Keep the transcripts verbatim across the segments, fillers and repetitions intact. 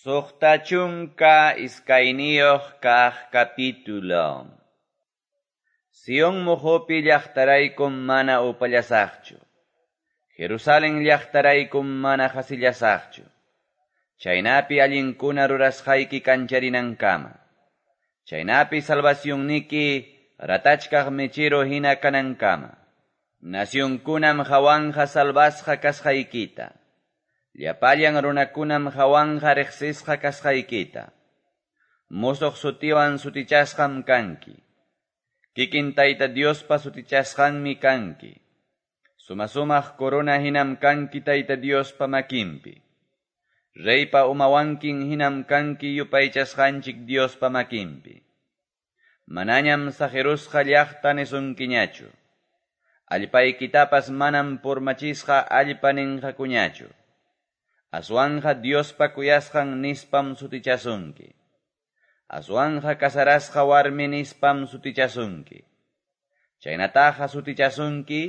Suqta chunka iskayniyuq kaq capítulo. Sion muqupi llaqtaraykum mana upallasaqchu. Jerusalén llaqtaraykum mana qasillasaqchu. Chaynapi allinkuna rurasqayki kancharinankama. Chaynapi salvacionniki ratachkaq mechero hina kanankama. Nacionkunam hawanja salvasqa kasqaykita. Llapallan runakunam hawanja riqsisqa kasqaykita. Musuq sutiwan sutichasqam kanki. Kikin Tayta Diospa sutichasqanmi kanki. Sumasumaq corona hinam kanki Tayta Diospa makinpi. Reypa umawankin hinam kanki yupaychasqanchik Diospa makinpi. Manañam saqirusqa llaqta nisunkiñachu. Allpaykitapas manam purmachisqa allpa ninqakuñachu. Aswanja Diospa kuyasqan nispam sutichasunki. Aswanja kasarasqa warmi nispam sutichasunki. Chaynataqa sutichasunki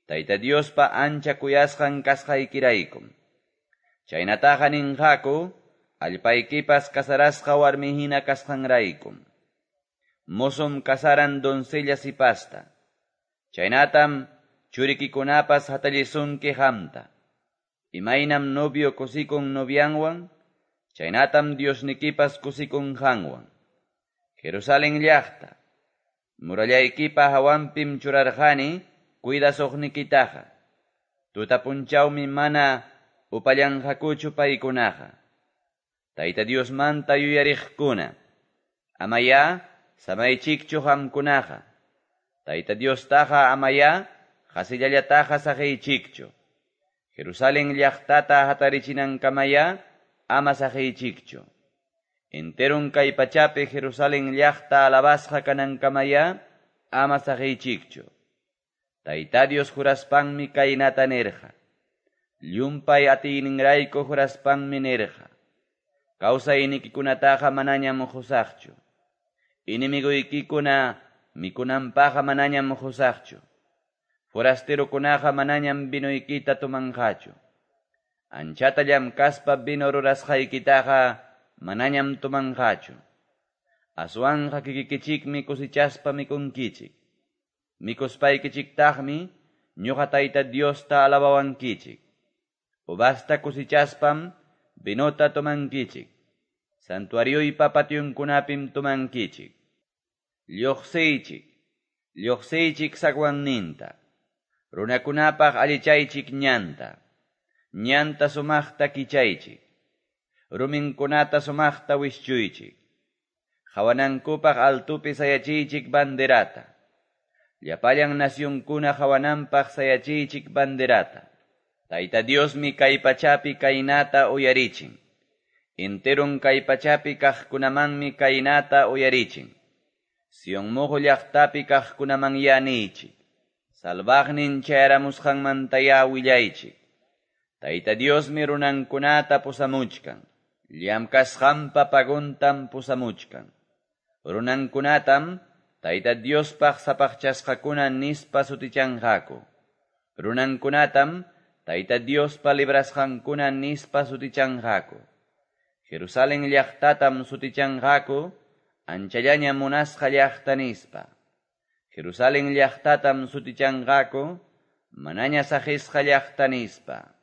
Tayta Diospa ancha kuyasqan kasqaykiraykum. Chaynataqa ninqaku allpaykipas kasarasqa warmi hina kasqanraykum. Mosum kasaran doncella sipasta. Chaynatam churikikunapas hatallisunki qamta. Imaynam novio kusikun novianwan, chaynatam Diosnikipas kusikun qanwan. Jerusalén llaqta, murallaykipa hawanpim churarqani cuidasuqnikitaqa. Tuta punchawmi mana upallanqakuchu paykunaqa. Tayta Diosmanta yuyariqkuna, amaya samaychikchu qamkunaqa. Tayta Diostaqa amaya qasillallataqa saqiychikchu. Jerusalén llaqtata hatarichinankamaya ama saqiychikchu. Enterun kay pachapi Jerusalén llaqta alabasqa kanankamaya ama saqiychikchu. Tayta Dios juraspanmi kaynata nirqa. Llumpay atiyninrayku juraspanmi nirqa. Kawsaynikikunataqa manañam qusaqchu. Enemigoykikuna mikunanpaqa manañam qusaqchu. Forasterokunaqa manañam vinoykita tomanqachu. Anchata llamkaspa vino rurasqaykitaqa manañam tomanqachu. Aswanja kikikichikmi kusichaspa mikunkichik. Mikuspaykichiktaqmi ñuqa Tayta Diosta alabawankichik. Uvasta kusichaspam vinota tomankichik. Santuarioypa pationkunapim tomankichik. Lluqsiychik, lluqsiychik zaguanninta. Runakunapaq allichaychik ñanta. Ñanta sumaqta kichaychik. Ruminkunata sumaqta wischuychik. Hawanankupaq altupi sayachiychik banderata. Llapallan nacionkuna hawananpaq sayachiychik banderata. Tayta Diosmi kay pachapi kaynata uyarichin. Enterun kay pachapi kaqkunamanmi kaynata uyarichin. Sion muqu llaqtapi kaqkunaman yaniychik. Salvaqnin chayaramusqanmantaya willaychik. Tayta Diosmi runankunata pusamuchkan. Llamkasqanpa paguntam pusamuchkan. Runankunatam Tayta Diospaq sapaqchasqakuna nispa sutichanqaku. Runankunatam Tayta Diospa librasqankuna nispa sutichanqaku. Jerusalén llaqtatam sutichanqaku anchallaña munasqa llaqta nispa. Jerusalén llaqtatam sutichanqaku manaña saqisqa llaqta nispa.